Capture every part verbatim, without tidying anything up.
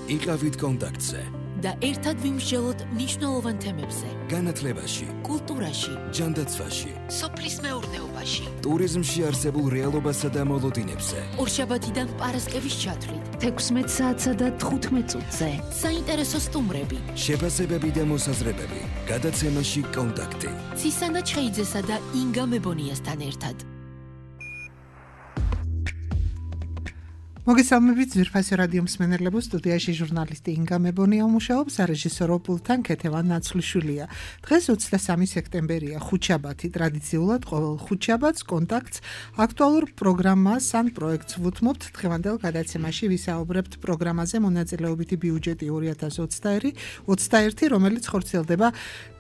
იყავით კონტაქტზე და ერთად ვიმსჯელოთ მნიშვნელოვან თემებზე. განათლებაში, კულტურაში, ჯანდაცვაში, სოფლის მეურნეობაში, ტურიზმში არსებულ რეალობასა და მოლოდინებზე. ორშაბათიდან პარასკევის ჩათვლით, თექვსმეტ საათსა და თხუთმეტ წუთზე. საინტერესო სტუმრები, შეფასებები და მოსაზრებები. გადაცემაში კონტაქტი. ცისანა ჩხეიძესა და ინგა მებონიასთან ერთად. მოგესალმებით ძვირფასი რადიო მსმენელებო, სტუდიაში ჟურნალისტი ინგა მებონია მუშაობს, რეჟისორო პულტთან ქეთევან ნაცვლიშვილია. დღეს ოცდამესამე სექტემბერია, ხუთშაბათი. ტრადიციულად ყოველ ხუთშაბათს კონტაქტს აქტუალურ პროგრამას ან პროექტს ვუთმობთ. დღევანდელ გადაცემაში ვისაუბრებთ პროგრამაზე მონაწილეობითი ბიუჯეტი ორი ათას ოცდაერთი, რომელიც ხორციელდება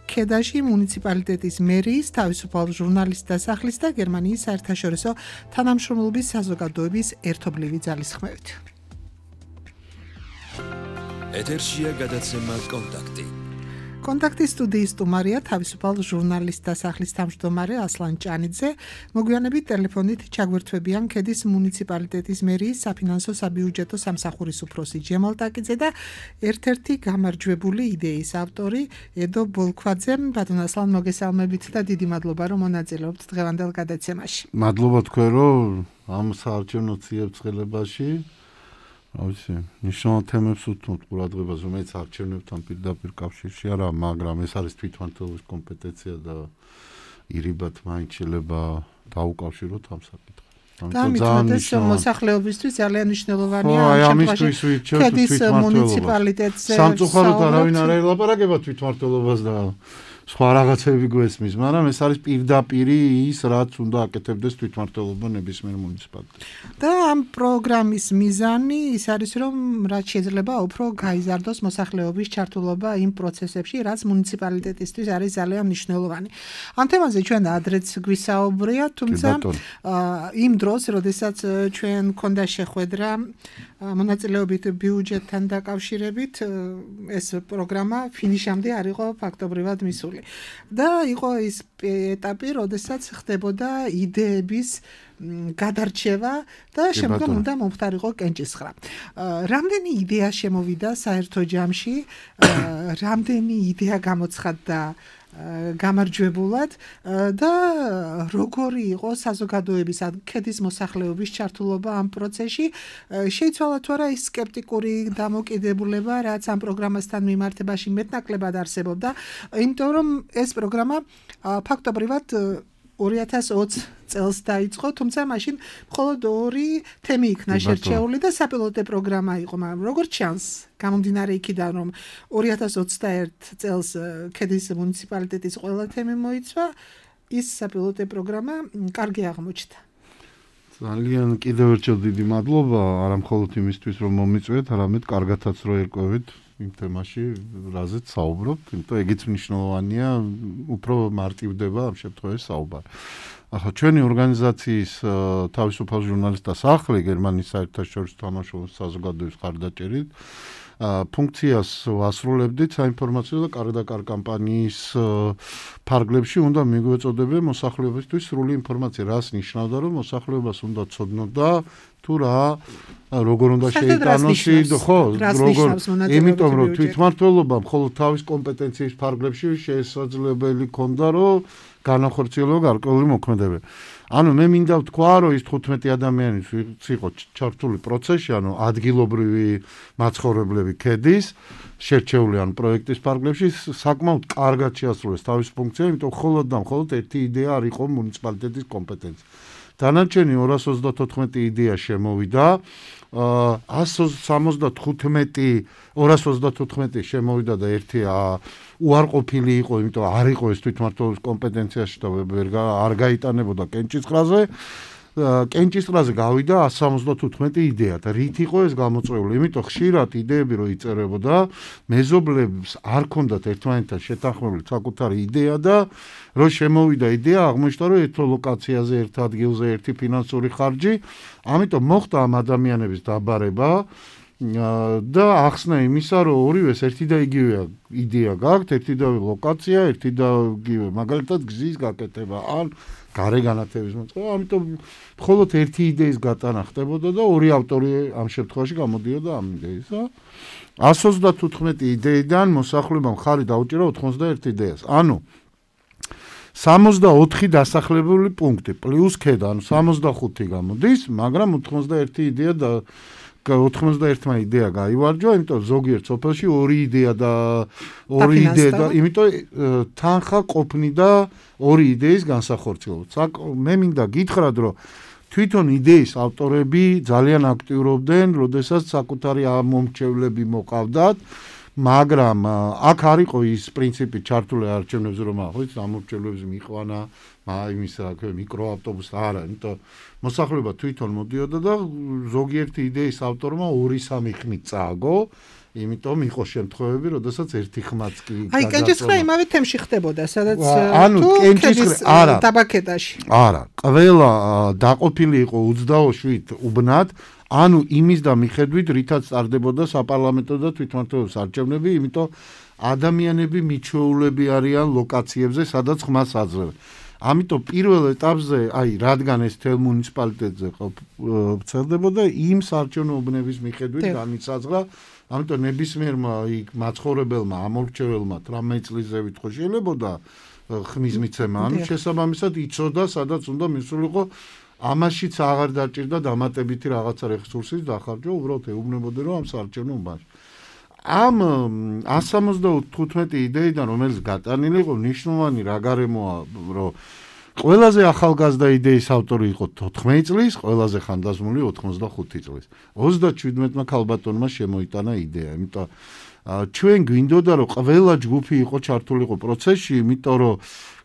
ქედაში მუნიციპალიტეტის მერიის, თავისუფალ ჟურნალისტთა სახლის და გერმანიის საერთაშორისო თანამშრომლობის საზოგადოების ერთობლივი ძალისხმევით. ეთერშია გადაცემა კონტაქტი. კონტაქტის სტუდიის სტუმარია თავისუფალ ჟურნალისტთა სახლის თავმჯდომარე ასლან ჭანიძე. მოგვიანებით ტელეფონით ჩაგვერთვებიან ქედის მუნიციპალიტეტის მერიის საფინანსო საბიუჯეტო სამსახურის უფროსი ჯემალ ტაკიძე და ერთ-ერთი გამარჯვებული იდეის ავტორი ედო ბოლქვაძე. ბატონ ასლან, მოგესალმებით და დიდი მადლობა, რომ მონაწილეობთ დღევანდელ გადაცემაში. მადლობა თქვენ, რომ ამ საარჩევნო ციებ-წყლებაში ავიცი, ნიშნულ თემებს უთმობთ ყურადღებას, რომელიც არჩევნებთან პირდაპირ კავშირში არა, მაგრამ ეს არის თვითმმართველობის კომპეტენცია და ირიბად მაინც შეიძლება დაუკავშიროთ ამ საკითხს. ამიტომ მოსახლეობისთვის ძალიან მნიშვნელოვანია ამ შემთხვევაში ქედის მუნიციპალიტეტზე სამწუხაროდ არავინ არ ელაპარაკება თვითმმართველობას და სხვა რაღაცები გვესმის, მაგრამ ეს არის პირდაპირ ის, რაც უნდა აკეთებდეს თვითმმართველობა ნებისმიერ მუნიციპალიტეტში. და ამ პროგრამის მიზანი ის არის, რომ რაც შეიძლება უფრო გაიზარდოს მოსახლეობის ჩართულობა იმ პროცესებში, რაც მუნიციპალიტეტისთვის არის ძალიან მნიშვნელოვანი. ამ თემაზე ჩვენ ადრეც გვისაუბრია, თუმცა იმ დროს, როდესაც ჩვენ გქონდა შეხვედრა მონაწილეობით ბიუჯეტთან დაკავშირებით, ეს პროგრამა ფინიშამდე არ იყო ფაქტობრივად მისული. და იყო ის ეტაპი, როდესაც ხდებოდა იდეების გადარჩევა და შემდგომ უნდა მომხდარიყო კენჭისხრა. რამდენი იდეა შემოვიდა საერთო ჯამში, რამდენი იდეა გამოცხადდა გამარჯვებულად და როგორი იყო საზოგადოების ქედის მოსახლეობის ჩართულობა ამ პროცესში. შეიცვალა თუ არა ის სკეპტიკური დამოკიდებულება, რაც ამ პროგრამასთან მიმართებაში მეტნაკლებად არსებობდა, იმიტომ რომ ეს პროგრამა ფაქტობრივად ორი ათას ოცი წელს დაიწყო, თუმცა მაშინ მხოლოდ ორი თემი იქნა შერჩეული და საპილოტო პროგრამა იყო, მაგრამ როგორც ჩანს, გამომდინარე იქიდან, რომ ორი ათას ოცდაერთი წელს ქედის მუნიციპალიტეტის ყველა თემი მოიცვა, ის საპილოტო პროგრამა კარგი აღმოჩნდა. ძალიან კიდევ ერთხელ დიდი მადლობა, არა მხოლოდ იმისთვის, რომ მომიწვიეთ, არამედ კარგათაც რო ერკვევით იმ თემაში, რაზეც საუბრობთ, იმიტომ ეგეც მნიშვნელოვანია, უფრო მარტივდება ამ შემთხვევაში საუბარი. ახლა ჩვენი ორგანიზაციის თავისუფალ ჟურნალისტთა სახლი გერმანიის საერთაშორისო თანამშრომლობის საზოგადოების ხარდაჭერით ფუნქციას ვასრულებდით საინფორმაციო და კარგ-კარგ კამპანიის ფარგლებში უნდა მიგვეწოდებინა მოსახლეობისთვის სრული ინფორმაცია, რას ნიშნავდა, რომ მოსახლეობას უნდა ცოდნოდა თუ რა როგორ უნდა შეიტანოს, ხო, როგორ, იმიტომ რომ თვითმმართველობა მხოლოდ თავის კომპეტენციის ფარგლებში შესაძლებელი ქონდა, რომ განახორციელო გარკვეული მოქმედებები. ანუ მე მინდა ვთქვა, რომ ის თხუთმეტი ადამიანი იყო ჩართული პროცესში, ანუ ადგილობრივი მაცხოვრებლები ქედის შერჩეული ან პროექტის ფარგლებში საკმაოდ კარგად შეასრულეს თავის ფუნქცია, იმიტომ მხოლოდ და მხოლოდ ერთი იდეა არ იყო მუნიციპალიტეტის კომპეტენცია. დანარჩენი ორას ოცდათოთხმეტი იდეა შემოვიდა, ასს სამოცდათხუთმეტი ორას ოცდათოთხმეტი შემოვიდა და ერთი უარყოფილი იყო, იმიტომ არ იყო ეს თვითმმართველობის კომპეტენციაში და ვერ არ გაიტანებოდა კენჭისყრაზე. კენჭისყრაზე გავიდა ასს სამოცდათოთხმეტი იდეა და რით იყო ეს გამოწვეული? იმიტომ ხშირად იდეები რო იწერებოდა, მეზობლებს არ ქონდათ ერთმანეთთან შეთანხმებული საკუთარი იდეა და რო შემოვიდა იდეა, აღმოჩნდა, რომ ერთ ლოკაციაზე, ერთ ადგილზე ერთი ფინანსური ხარჯი, ამიტომ მოხდა ამ ადამიანების დაბარება და ახსნა იმისა, რომ ორივეს ერთი და იგივე იდეა გაქვთ, ერთი და ლოკაცია, ერთი და იგივე, მაგალითად გზის გაკეთება, ან გარე განათების მოწყობა, ამიტომ მხოლოდ ერთი იდეის გატანა ხდებოდა და ორი ავტორი ამ შემთხვევაში გამოდიოდა ამ იდეისა. εκατό ოცდათოთხმეტი იდეიდან მოსახლებამ ხარი დაუჭირა ოთხმოცდაერთი იდეას. ანუ სამოცდაოთხი დასახლებული პუნქტი პლუს ქედა, ანუ სამოცდახუთი გამოდის, მაგრამ ოთხმოცდაერთი იდეა და ოთხმოცდაერთმა იდეა გაივარჯვა, იმიტომ ზოგიერთ სოფელში ორი იდეა და ორი იდეა და იმიტომ თანხა ყოფნიდა ორი იდეის განსახორციელებლად. მე მინდა გითხრათ, რომ თვითონ იდეის ავტორები ძალიან აქტიურობდნენ, როდესაც საკუთარი მომრჩევლები მოყავდათ, მაგრამ აქ არ იყო ის პრინციპი ჩართული არჩევნებზე, რომ ახლა ამორჩევლებს მიყვანა იმის რა ქვია მიკროავტობუსს არა, იმიტომ მოსახლეობა თვითონ მოდიოდა და ზოგიერთი იდეის ავტორმა ორი სამი ხმით წააგო, იმიტომ იყო შემთხვევები, როდესაც ერთი ხმაც კი აი კენჭისყრა იმავე თემში ხდებოდა, სადაც ანუ კენჭისყრა არა ტაბაკედაში. არა, ყველა დაყოფილი იყო ოცდაშვიდ უბნად, ანუ იმის და მიხედვით, რითაც წარდებოდა საპარლამენტო და თვითმმართველობის არჩევნები, იმიტომ ადამიანები მიჩვეულები არიან ლოკაციებზე, სადაც ხმას აძლევენ. ამიტომ პირველ ეტაპზე, აი, რადგან ეს თელ მუნიციპალიტეტზე ვრცელდებოდა, იმ საარჩევნო უბნების მიხედვით განიცაცხლა, ამიტომ ნებისმიერმა იქ მაცხოვრებელმა, ამორჩეველმა თვრამეტ წლის ზევით ხო შეიძლებოდა ხმის მიცემა, ანუ შესაბამისად იცოდა, სადაც უნდა მისულიყო, ამაშიც აღარ დაჭირდა დამატებითი რაღაცა რესურსის დახარჯვა, უბრალოდ ეუბნებოდნენ, რომ ამ საარჩევნო უბანში. ამ εκατო სამოცდათხუთმეტი იდეიდან, რომელიც გატანილი იყო, მნიშვნელოვანი რა გარემოა, რომ ყველაზე ახალგაზრდა იდეის ავტორი იყო თოთხმეტი წლის, ყველაზე ხანდაზმული ოთხმოცდახუთი წლის. ოცდაჩვიდმეტმა ქალბატონმა შემოიტანა იდეა, იმიტომ ჩვენ გვინდოდა, რომ ყველა ჯგუფი იყო ჩართულიყო პროცესში, იმიტომ რომ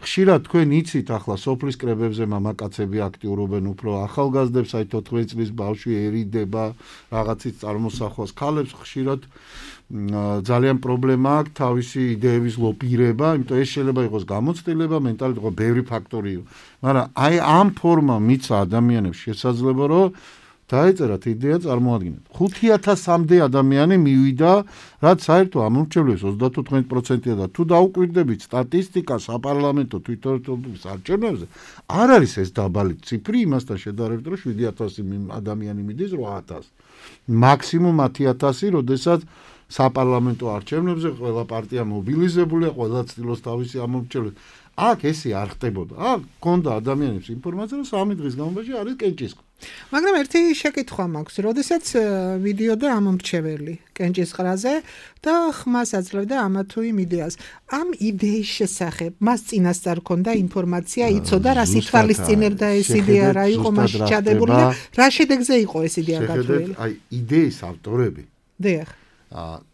ხშირად თქვენ იცით ახლა სოფლის კრებებზე მამაკაცები აქტიურობენ უფრო ახალგაზრდებს, აი თოთხმეტი წლის ბავშვი ერიდება რაღაცის წარმოსახვას, ქალებს ხშირად ძალიან პრობლემა აქვს თავისი იდეების ლობირება, იმიტომ ეს შეიძლება იყოს გამოცდილება, მენტალიტეტი იყო ბევრი ფაქტორი, მაგრამ აი ამ ფორმა მიცა ადამიანებს შესაძლებლობა, რომ დაეწერათ იდეა წარმოადგენთ. ხუთი ათასამდე ადამიანი მივიდა, რაც საერთო ამორჩევლებს ოცდათოთხმეტი პროცენტია და თუ დაუკვირდებით სტატისტიკას საპარლამენტო თვითმმართველობის არჩევნებზე, არ არის ეს დაბალი ციფრი იმასთან შედარებით, რომ შვიდი ათასი ადამიანი მიდის რვა ათასი. მაქსიმუმ ათი ათასი, როდესაც საპარლამენტო არჩევნებზე ყველა პარტია მობილიზებულია, ყველა ცდილობს თავისი ამორჩევლებს. აქ ესე არ ხდებოდა. აქ გქონდა ადამიანებს ინფორმაცია, რომ სამი დღის განმავლობაში არის კენჭისყრა. მაგრამ ერთი შეკითხვა მაქვს, როდესაც მიდიოდა ამომრჩეველი კენჭისყრაზე და ხმას აძლევდა ამა თუ იმ იდეას. ამ იდეის შესახებ მას წინასწარ ქონდა ინფორმაცია, იცოდა რა ითვალისწინებდა ეს იდეა, რა იყო მასში ჩადებული და რა შედეგზე იყო ეს იდეა გათვლილი. აი იდეის ავტორები დიახ.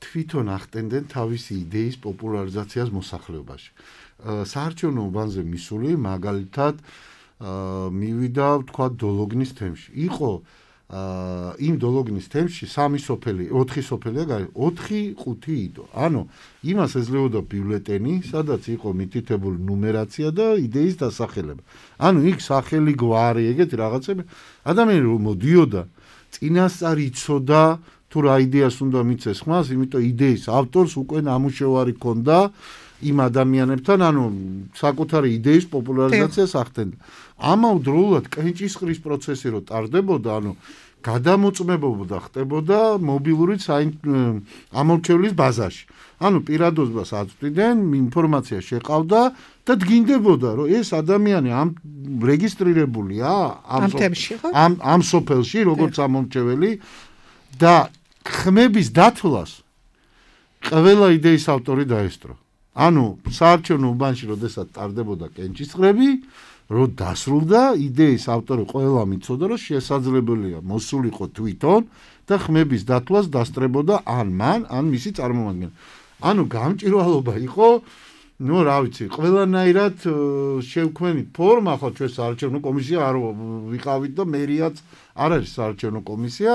თვითონ ახდენდნენ თავისი იდეის პოპულარიზაციას მოსახლეობაში. საარჩევნო უბანზე მისული მაგალითად მივიდა თქვა დოლოგნის თემში. იყო იმ დოლოგნის თემში სამი სოფელი, ოთხი სოფელია გაი, ოთხი ხუთი იდო. ანუ იმას ეძლებოდა ბიულეტენი, სადაც იყო მითითებული ნუმერაცია და იდეის დასახელება. ანუ იქ სახელი, გვარი, ეგეთი რაღაცები ადამიანი რომ მოდიოდა, წინასწარ იცოდა თუ რა იდეას უნდა მიცეს ხმას, იმიტომ იდეის ავტორს უკვე ნამუშევარი ჰქონდა იმ ადამიანებთან, ანუ საკუთარი იდეის პოპულარიზაციას ახდენდა. ამავდროულად კენჭისყრის პროცესი რო ტარდებოდა, ანუ გადამოწმებობა ხდებოდა მობილური ამორჩევლის ბაზაში. ანუ პირადობას აწვდიდნენ, ინფორმაცია შეყავდა და დგინდებოდა, რომ ეს ადამიანი ამ რეგისტრირებულია ამ ამ ამ სოფელში, როგორც ამორჩეველი და ხმების დათვლას ყველა იდეის ავტორი დაესწრო. ანუ საარჩევნო უბანში როდესაც ტარდებოდა კენჭისყრები, რო დასრულდა იდეის ავტორი ყველა მიცოდა, რომ შესაძლებელია მოსულიყო თვითონ და ხმების დათვლას დასწრებოდა ან მან, ან მისი წარმომადგენელი. ანუ გამჭირვალობა იყო, ნუ რა ვიცი, ყველანაირად შევქმნით ფორმა, ხო ჩვენ საარჩევნო კომისია არ ვიყავით და მერიაც არ არის საარჩევნო კომისია.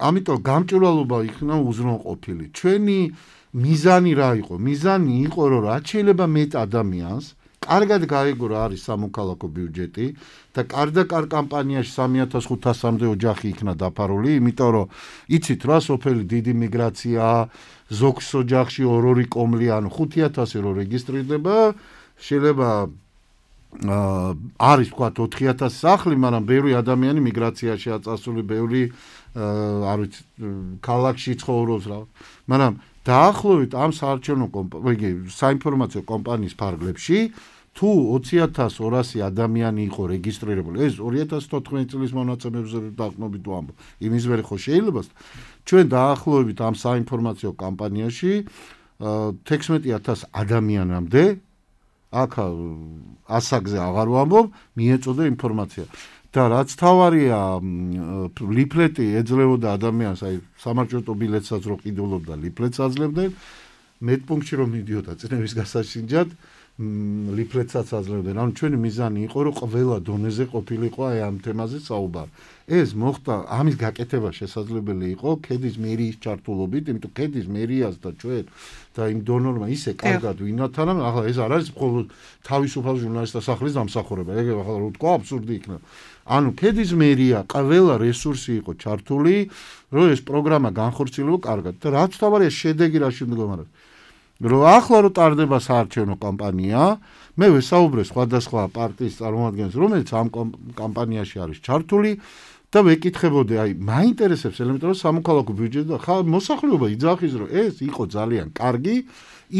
ამიტომ გამჭირვალობა იქნა უზრუნველყოფილი. ჩვენი მიზანი რა იყო? მიზანი იყო, რომ რაც შეიძლება მეტ ადამიანს კარგად გაიგო რა არის სამოქალაქო ბიუჯეტი და კარდაკარ კამპანიაში სამი ათას ხუთასამდე ოჯახი იქნა დაფარული, იმიტომ რომ იცით რა სოფელი დიდი მიგრაცია, ზოგს ოჯახში ორ-ორი კომლი, ანუ ხუთი ათასი რო რეგისტრირდება, შეიძლება არის ვთქვათ ოთხი ათასი სახლი, მაგრამ ბევრი ადამიანი მიგრაციაშია წასული, ბევრი არ ვიცი ქალაქში ცხოვრობს რა. მაგრამ დაახლოებით ამ საარჩევნო კომპანიის, საინფორმაციო კომპანიის ფარგლებში თუ ოცი ათას ორასი ადამიანი იყო რეგისტრირებული, ეს ორი ათას თოთხმეტი წლის მონაცემებზე დაყრდნობით ვამბობ. იმის ვერ ხო შეიძლება ჩვენ დაახლოებით ამ საინფორმაციო კამპანიაში თექვსმეტი ათას ადამიანამდე აქ ასაგზე აღარ ვამბობ, მიეწოდა ინფორმაცია. და რაც თავარია ლიფლეტი ეძლეოდა ადამიანს, აი სამარჯვენო ბილეთსაც რო ყიდულობდა, ლიფლეტს აძლევდნენ, მეტპუნქტში რომ მიდიოდა წნევის გასაშინჯად, ლიფლეტსაც აძლევდნენ. ანუ ჩვენი მიზანი იყო, რომ ყველა დონეზე ყოფილიყო აი ამ თემაზე საუბარი. ეს მოხდა, ამის გაკეთება შესაძლებელი იყო ქედის მერიის ჩართულობით, იმიტომ ქედის მერიას და ჩვენ და იმ დონორმა ისე კარგად ვინათან, ახლა ეს არ არის მხოლოდ თავისუფალ ჟურნალისტთა სახლის დამსახურება, ეგ ახლა რო თქვა აბსურდი იქნება. ანუ ქედის მერია ყველა რესურსი იყო ჩართული, რომ ეს პროგრამა განხორციელებო კარგად. და რაც თავარია შედეგი რაში მდგომარეობს. რომ ახლა რო ტარდება საარჩევნო კამპანია, მე ვესაუბრე სხვადასხვა პარტიის წარმომადგენლებს, რომელიც ამ კამპანიაში არის ჩართული და ვეკითხებოდი, აი, მაინტერესებს ელემენტარულად სამოქალაქო ბიუჯეტი და ხა მოსახლეობა იძახის, რომ ეს იყო ძალიან კარგი,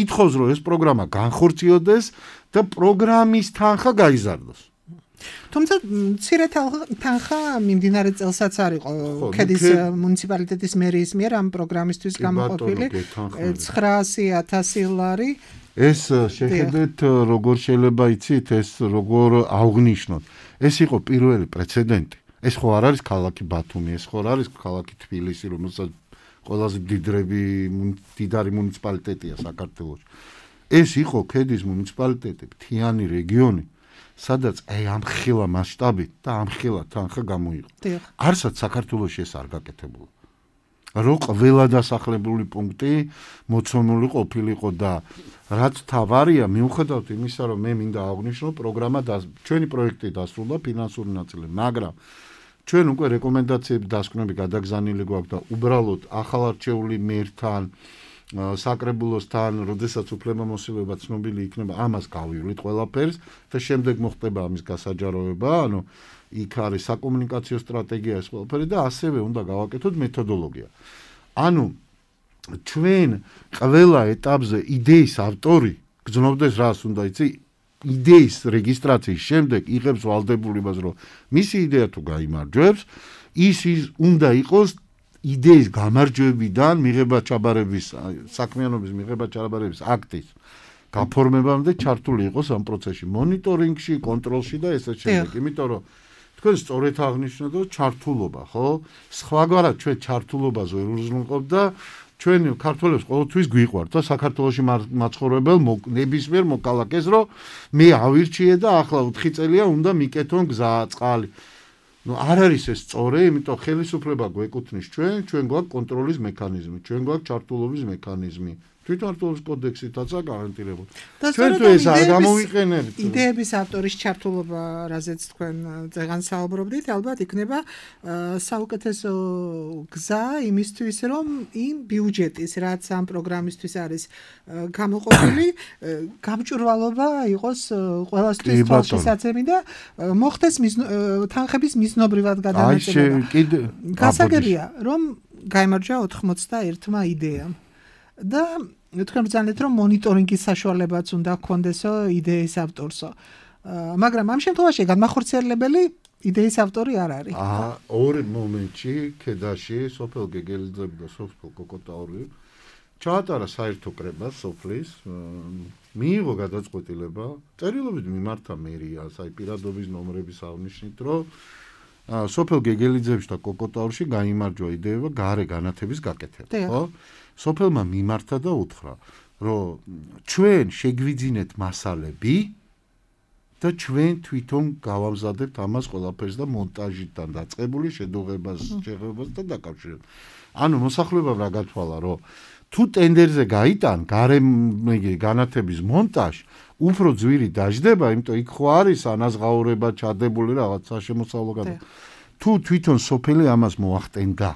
ითხოვს, რომ ეს პროგრამა განხორციელდეს და პროგრამის თანხა გაიზარდოს. თუმცა მცირე თანხა მიმდინარე წელსაც არ იყო ქედის მუნიციპალიტეტის მერიის მიერ ამ პროგრამისთვის გამოყოფილი ცხრაასი ათასი ლარი. ეს შეხედეთ როგორ შეიძლება იცით, ეს როგორ აღნიშნოთ. ეს იყო პირველი პრეცედენტი. ეს ხო არ არის ქალაქი ბათუმი, ეს ხო არ არის ქალაქი თბილისი, რომელსაც ყველაზე დიდრები დიდარი მუნიციპალიტეტია საქართველოში. ეს იყო ქედის მუნიციპალიტეტი, მთიანი რეგიონი, სადაც აი ამ ხილა მასშტაბით და ამ ხილა თანხა გამოიღო. არცად საქართველოში ეს არ გაკეთებულა. რო ყველა დასახლებული პუნქტი მოცემული ყოფილიყო და რაც თავარია მიუხედავად იმისა, რომ მე მინდა აღვნიშნო, პროგრამა და ჩვენი პროექტი დასრულდა ფინანსური ნაწილი, მაგრამ ჩვენ უკვე რეკომენდაციები დასკვნები გადაგზავნილი გვაქვს და უბრალოდ ახალარჩეული მერთან საკრებულოსთან, როდესაც უფლებამოსილება ცნობილი იქნება, ამას გავივლით ყველაფერს და შემდეგ მოხდება ამის გასაჯაროება, ანუ იქ არის საკომუნიკაციო სტრატეგია ეს ყველაფერი და ასევე უნდა გავაკეთოთ მეთოდოლოგია. ანუ ჩვენ ყველა ეტაპზე იდეის ავტორი გრძნობდეს რას უნდა იცი, იდეის რეგისტრაციის შემდეგ იღებს ვალდებულებას, რომ მისი იდეა თუ გაიმარჯვებს, ის უნდა იყოს იდეის გამარჯვებიდან მიღება ჩაბარების, საქმიანობის მიღება ჩაბარების აქტის გაფორმებამდე ჩართული იყოს ამ პროცესში, მონიტორინგში, კონტროლში და ესე შემდეგ. იმიტომ რომ თქვენ სწორედ აღნიშნეთ, რომ ჩართულობა, ხო? სხვაგვარად ჩვენ ჩართულობას ვერ უზრუნველყოფ და ჩვენ ქართველებს ყოველთვის გვიყვართ და საქართველოში მაცხოვრებელ ნებისმიერ მოქალაქეს, რომ მე ავირჩიე და ახლა ოთხი წელია უნდა მიკეთონ გზა, წყალი. Ну, არ არის ეს სწორი, იმიტომ ხელისუფლება გვეკუთვნის ჩვენ, ჩვენ გვაქვს კონტროლის მექანიზმი, ჩვენ გვაქვს ჩართულობის მექანიზმი. თვითმმართველობის კოდექსითაც გარანტირებული. ჩვენ თუ ეს არ გამოვიყენებთ, იდეების ავტორის ჩართულობა, რაზეც თქვენ წეგან საუბრობდით, ალბათ იქნება საუკეთესო გზა იმისთვის, რომ იმ ბიუჯეტის, რაც ამ პროგრამისთვის არის გამოყოფილი, გამჭვირვალობა იყოს ყველასთვის თვალშისაცემი და მოხდეს თანხების მიზნობრივად გადანაწილება. გასაგებია, რომ გაიმარჯვა ოთხმოცდაერთმა იდეამ. და თქვენ ბრძანეთ, რომ მონიტორინგის საშუალებაც უნდა გქონდესო იდეის ავტორსო. მაგრამ ამ შემთხვევაში განმახორციელებელი იდეის ავტორი არ არის. აა, ორ მომენტში ქედაში სოფელ გეგელიძეები და სოფელ კოკოტაური ჩაატარა საერთო კრება სოფლის, მიიღო გადაწყვეტილება, წერილობით მიმართა მერიას, აი პირადობის ნომრების აღნიშნით, რომ სოფელ გეგელიძეებში და კოკოტაურში გაიმარჯვა იდეა გარე განათების გაკეთება, ხო? სოფელმა მიმართა და უთხრა, რომ ჩვენ შეგვიძინეთ მასალები და ჩვენ თვითონ გავამზადებთ ამას ყველაფერს და მონტაჟიდან დაწყებული შედუღებას, შეღებებას და დაკავშირებას. ანუ მოსახლეობამ რა გათვალა, რომ თუ ტენდერზე გაიტან გარემ განათების მონტაჟი უფრო ძვირი დაждდება, იმიტომ იქ ხო არის ანაზღაურება ჩადებული რაღაც საშემოსავლო გადა. თუ თვითონ სოფელი ამას მოახტენდა.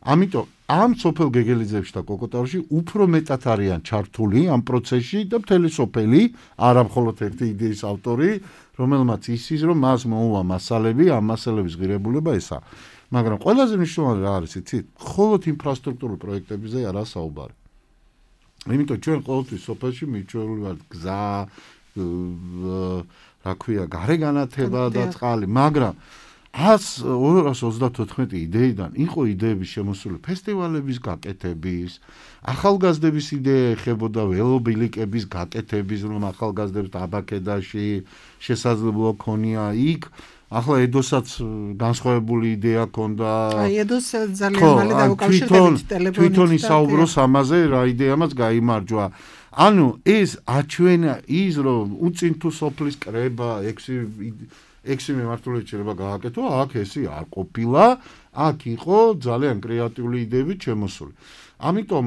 ამიტომ ამ სოფელ გეგელიძეებში და კოკოტაურში უფრო მეტად არიან ჩართული ამ პროცესში და მთელი სოფელი, არა მხოლოდ ერთი იდეის ავტორი, რომელმაც ისის რომ მას მოუვა მასალები, ამ მასალების ღირებულება ესა. მაგრამ ყველაზე მნიშვნელოვანი რა არის, იცით? მხოლოდ ინფრასტრუქტურულ პროექტებზე არა საუბარი. იმიტომ ჩვენ ყოველთვის სოფელში მიჩვეული ვართ გზა, რა ქვია, გარეგანათება და წყალი, მაგრამ ორას ოცდათოთხმეტი იდეიდან იყო იდეების შემოსული ფესტივალების გაკეთების, ახალგაზრდების იდეა ეხებოდა ველობილიკების გაკეთების, რომ ახალგაზრდებს დაბაქედაში შესაძლებლობა ქონია იქ. ახლა ედოსაც განსხვავებული იდეა ქონდა. აი ედოს ძალიან მალე დაუკავშირდებით ტელეფონით. თვითონ ისაუბროს ამაზე, რა იდეამაც გაიმარჯვა. ანუ ეს აჩვენა ის რომ უწინ თუ სოფლის კრება ექვსი ექვსი მიმართულებით შეიძლება გააკეთო, აქ ესი არ ყოფილა, აქ იყო ძალიან კრეატიული იდეები შემოსული. ამიტომ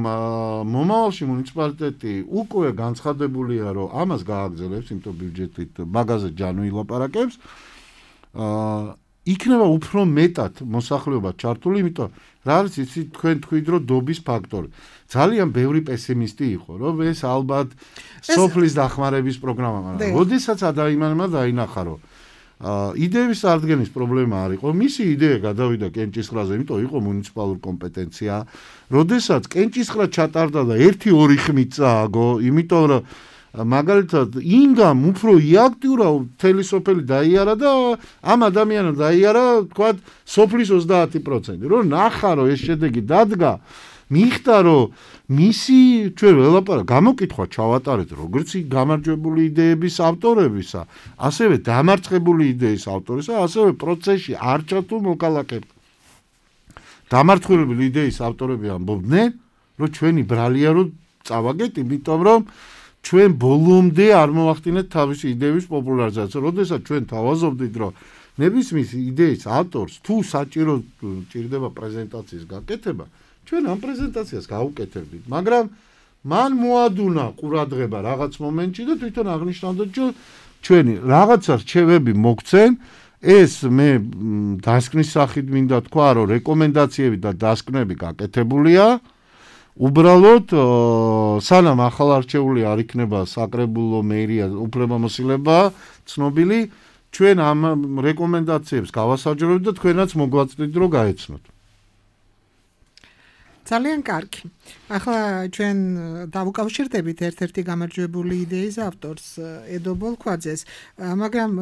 მომავალში მუნიციპალიტეტი უკვე განცხადებულია, რომ ამას გააგრძელებს, იმიტომ ბიუჯეტით მაგაზე ჯანო ილაპარაკებს. აა იქნება უფრო მეტად მოსახლეობა ჩართული, იმიტომ რა არის იცი თქვენ თქვით რომ დობის ფაქტორი. ძალიან ბევრი პესიმისტი იყო, რომ ეს ალბათ სოფლის დახმარების პროგრამა, მაგრამ როდესაც ადამიანმა დაინახა, რომ აა იდეების აღდგენის პრობლემა არ იყო, მისი იდეა გადავიდა კენჭისყრაზე, იმიტომ იყო მუნიციპალური კომპეტენცია. როდესაც კენჭისყრა ჩატარდა და ერთი ორი ხმით წააგო, იმიტომ რომ მაგალითად ინგამ უფრო იაქტიურა მთელი სოფელი დაიარა და ამ ადამიანმა დაიარა თქვა სოფლის ოცდაათი პროცენტი. რომ ნახა რომ ეს შედეგი დადგა, მიხდა რომ მისი ჩვენ ველაპარაკ გამოკითხვა ჩავატარეთ როგორც გამარჯვებული იდეების ავტორებისა, ასევე დამარცხებული იდეის ავტორისა, ასევე პროცესში არ ჩართულ მოკალაკეებს. დამარცხებული იდეის ავტორები ამბობდნენ, რომ ჩვენი ბრალია რომ წავაგეთ, იმიტომ რომ ჩვენ ბოლომდე არ მოახდინეთ თავისი იდეების პოპულარიზაცია. როდესაც ჩვენ თავაზობდით, რომ ნებისმის იდეის ავტორს თუ საჭირო ჭირდება პრეზენტაციის გაკეთება, ჩვენ ამ პრეზენტაციას გავუკეთებდით, მაგრამ მან მოადუნა ყურადღება რაღაც მომენტში და თვითონ აღნიშნავდა, რომ ჩვენი რაღაცა რჩევები მოგცენ, ეს მე დასკნის სახით მინდა თქვა, რომ რეკომენდაციები და დასკნები გაკეთებულია. უბრალოდ სანამ ახალ არჩეული არ იქნება საკრებულო მერია უფლებამოსილება ცნობილი, ჩვენ ამ რეკომენდაციებს გავასაჯაროებთ და თქვენაც მოგვაწვდით რომ გაეცნოთ. ძალიან კარგი. ახლა ჩვენ დავუკავშირდებით ერთ-ერთი გამარჯვებული იდეის ავტორს ედო ბოლქვაძეს, მაგრამ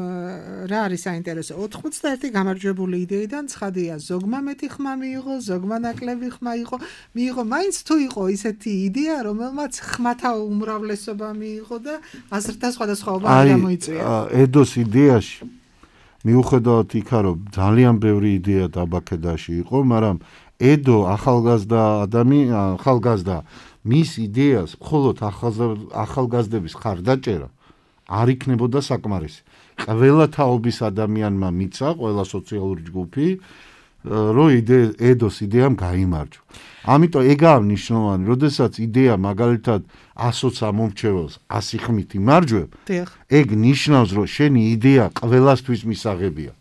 რა არის საინტერესო? ოთხმოცდაერთი გამარჯვებული იდეიდან ცხადია, ზოგმა მეტი ხმა მიიღო, ზოგმა ნაკლები ხმა იყო, მიიღო, მაინც თუ იყო ისეთი იდეა, რომელმაც ხმათა უმრავლესობა მიიღო და აზრთა სხვადასხვაობა არ გამოიწვია. აი, ედოს იდეაში მიუხედავად იქა, რომ ძალიან ბევრი იდეა დაბაქედაში იყო, მაგრამ ედო ახალგაზრდა ადამიანი, ახალგაზრდა მის იდეას მხოლოდ ახალგაზრდების ხარდაჭერა არ იქნებოდა საკმარისი. ყველა თაობის ადამიანმა მიცა, ყველა სოციალური ჯგუფი, რომ ედოს იდეამ გაიმარჯვა. ამიტომ ეგაა მნიშვნელოვანი, როდესაც იდეა მაგალითად ასოც ამომრჩეველს ასი ხმით იმარჯვებ, ეგ ნიშნავს, რომ შენი იდეა ყველასთვის მისაღებია.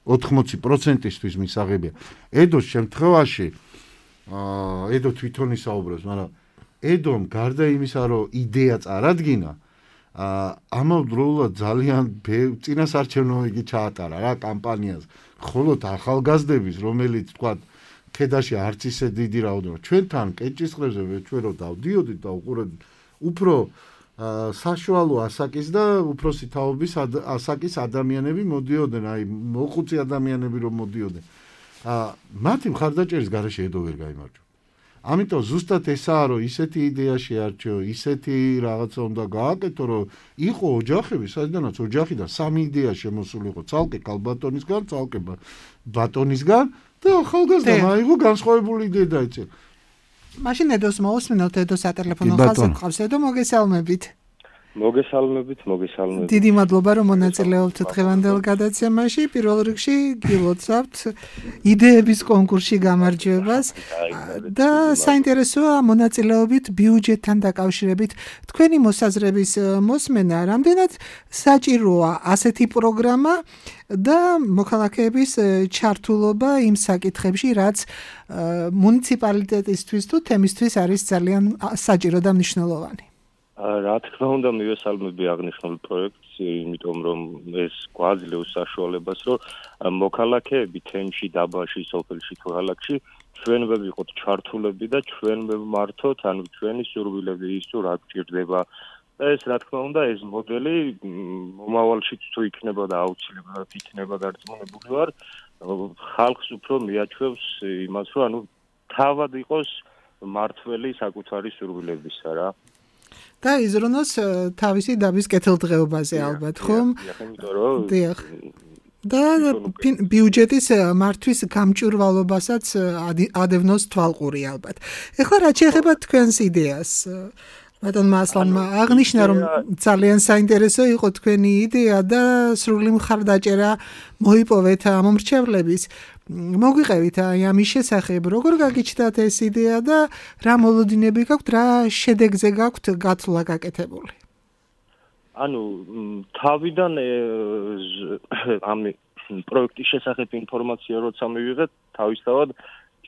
ოთხმოცი პროცენტისთვის მისაღებია. ედოს შემთხვევაში აა ედო თვითონ ისაუბრებს, მაგრამ ედომ გარდა იმისა, რომ იდეა წარადგინა, აა ამავდროულად ძალიან წინასარჩევნო იგი ჩაატარა რა კამპანიას. მხოლოდ ახალგაზრდების, რომელიც თქვა ქედაში არც ისე დიდი რაოდენობა. ჩვენთან კენჭისყრებზე ჩვენ რო დავდიოდით და უყურებდით, უფრო საშუალო ასაკის და უფროსი თაობის ასაკის ადამიანები მოდიოდნენ, აი მოხუცი ადამიანები რომ მოდიოდნენ. აა მათი მხარდაჭერის გარეშე ედო ვერ გაიმარჯვა. ამიტომ ზუსტად ესაა, რომ ისეთი იდეა შეარჩიო, ისეთი რაღაცა უნდა გააკეთო, რომ იყო ოჯახები, სადაც ოჯახიდან სამი იდეა შემოსული იყო, ცალკე კალბატონისგან, ცალკე ბატონისგან და ახალგაზრდა აიღო განსხვავებული იდეა დაეწერა. მაშინ ედოს მოусმინოთ, ედო სატელეფონო ხაზზე ყავს, ედო მოგესალმებით. მოგესალმებით, მოგესალმებით. დიდი მადლობა რომ მონაწილეობთ დღევანდელ გადაცემაში. პირველ რიგში გილოცავთ იდეების კონკურსში გამარჯვებას და საინტერესოა მონაწილეობით ბიუჯეტთან დაკავშირებით თქვენი მოსაზრების მოსმენა, რამდენად საჭიროა ასეთი პროგრამა და მოქალაქეების ჩართულობა იმ საკითხებში, რაც მუნიციპალიტეტისთვის თუ თემისთვის არის ძალიან საჭირო და მნიშვნელოვანი. რა თქმა უნდა მივესალმები აღნიშნულ პროექტს, იმიტომ რომ ეს გვაძლევს საშუალებას, რომ მოქალაქეები თემში, დაბაში, სოფელში თუ ქალაქში ჩვენ ვიყოთ ჩართულები და ჩვენ ვმართოთ, ანუ ჩვენი სურვილები ის თუ რა გჭირდება. და ეს რა თქმა უნდა ეს მოდელი მომავალშიც თუ იქნება და აუცილებლად იქნება დარწმუნებული ვარ, ხალხს უფრო მიაჩვევს იმას, რომ ანუ თავად იყოს მართველი საკუთარი სურვილებისა რა. და იზრუნოს თავისი დაბის კეთილდღეობაზე ალბათ, ხომ? დიახ. და ბიუჯეტის მართვის გამჭვირვალობასაც ადევნოს თვალყური ალბათ. ეხლა რაც შეეხება თქვენს იდეას, ბატონმა ასლანმა აღნიშნა, რომ ძალიან საინტერესო იყო თქვენი იდეა და სრული მხარდაჭერა მოიპოვეთ მომრჩევლების. მოგვიყევით აი ამის შესახებ, როგორ გაგიჩნდათ ეს იდეა და რა მოლოდინები გაქვთ, რა შედეგზე გაქვთ გათვლა გაკეთებული? ანუ თავიდან ამ პროექტის შესახებ ინფორმაცია როცა მივიღეთ, თავისთავად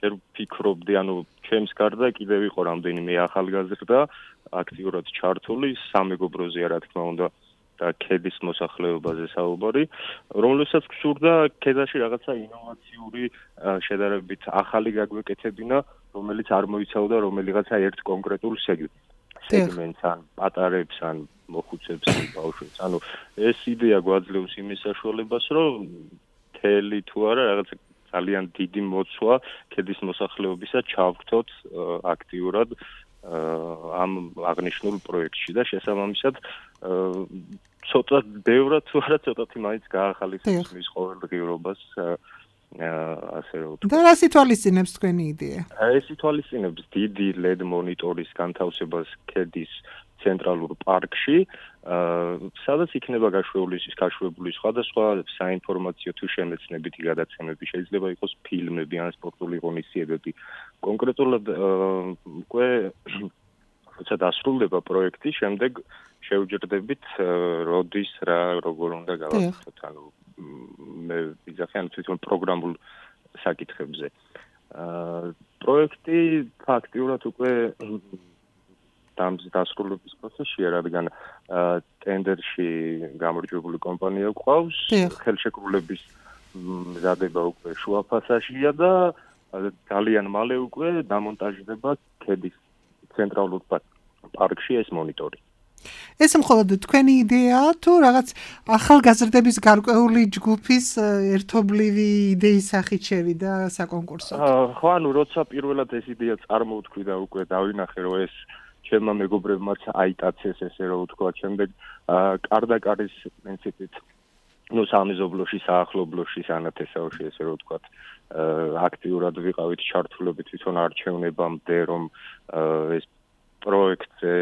ჯერ ვფიქრობდი, ანუ ჩემს გარდა კიდევ იყო რამდენიმე ახალგაზრდა აქტიურად ჩართული სამეგობროზეა რა თქმა უნდა და ქედის მოსახლეობაზე საუბარი, რომელსაც გსურდა ქედაში რაღაცა ინოვაციური შედარებით ახალი გაგვეკეთებინა, რომელიც არ მოიცავდა რომელიღაცა ერთ კონკრეტულ სეგმენტს, ან პატარებს, ან მოხუცებს, ან ბავშვებს. ანუ ეს იდეა გვაძლევს იმის საშუალებას, რომ მთელი თუ არა რაღაცა ძალიან დიდი მოცვა ქედის მოსახლეობისა ჩავხთოთ აქტიურად ამ აღნიშნულ პროექტში და შესაბამისად ცოტა ბევრად თუ არა ცოტათი მაინც გაახალისებს მის ყოველდღიურობას ასე რომ და რა სიტუალიზინებს თქვენი იდეა? ეს ითვალისწინებს დიდი ლედ მონიტორის განთავსებას ქედის ცენტრალურ პარკში, სადაც იქნება გაშვებული გაშვებული სხვადასხვა საინფორმაციო თუ შემეცნებითი გადაცემები, შეიძლება იყოს ფილმები ან სპორტული ღონისძიებები. კონკრეტულად უკვე როცა დასრულდება პროექტი, შემდეგ შევჯერდებით როდის რა როგორ უნდა გავაკეთოთ, ანუ მე ვიზახი ან თვითონ პროგრამულ საკითხებზე. პროექტი ფაქტიურად უკვე დასრულების პროცესშია, რადგან ტენდერში გამარჯვებული კომპანია გვყავს, ხელშეკრულების მზადება უკვე შუა ფაზაშია და ძალიან მალე უკვე დამონტაჟდება ქედის ცენტრალურ პარკში ეს მონიტორი. ეს მხოლოდ თქვენი იდეაა თუ რაღაც ახალგაზრდების გარკვეული ჯგუფის ერთობლივი idei-ის სახით შევიდა საკონკურსო? ხო, ანუ როცა პირველად ეს იდეა წარმოვთქვი და უკვე დავინახე, რომ ეს ჩემმა მეგობრებმაც აიტაცეს ესე რომ ვთქვა, შემდეგ კარდაკარის პრინციპით, ну სამეზობლოში, საახლობლოში, სანათესაოში ესე რომ ვთქვა, აქტიურად ვიყავით ჩართულები თვითონ არჩევნებამდე, რომ ეს პროექტზე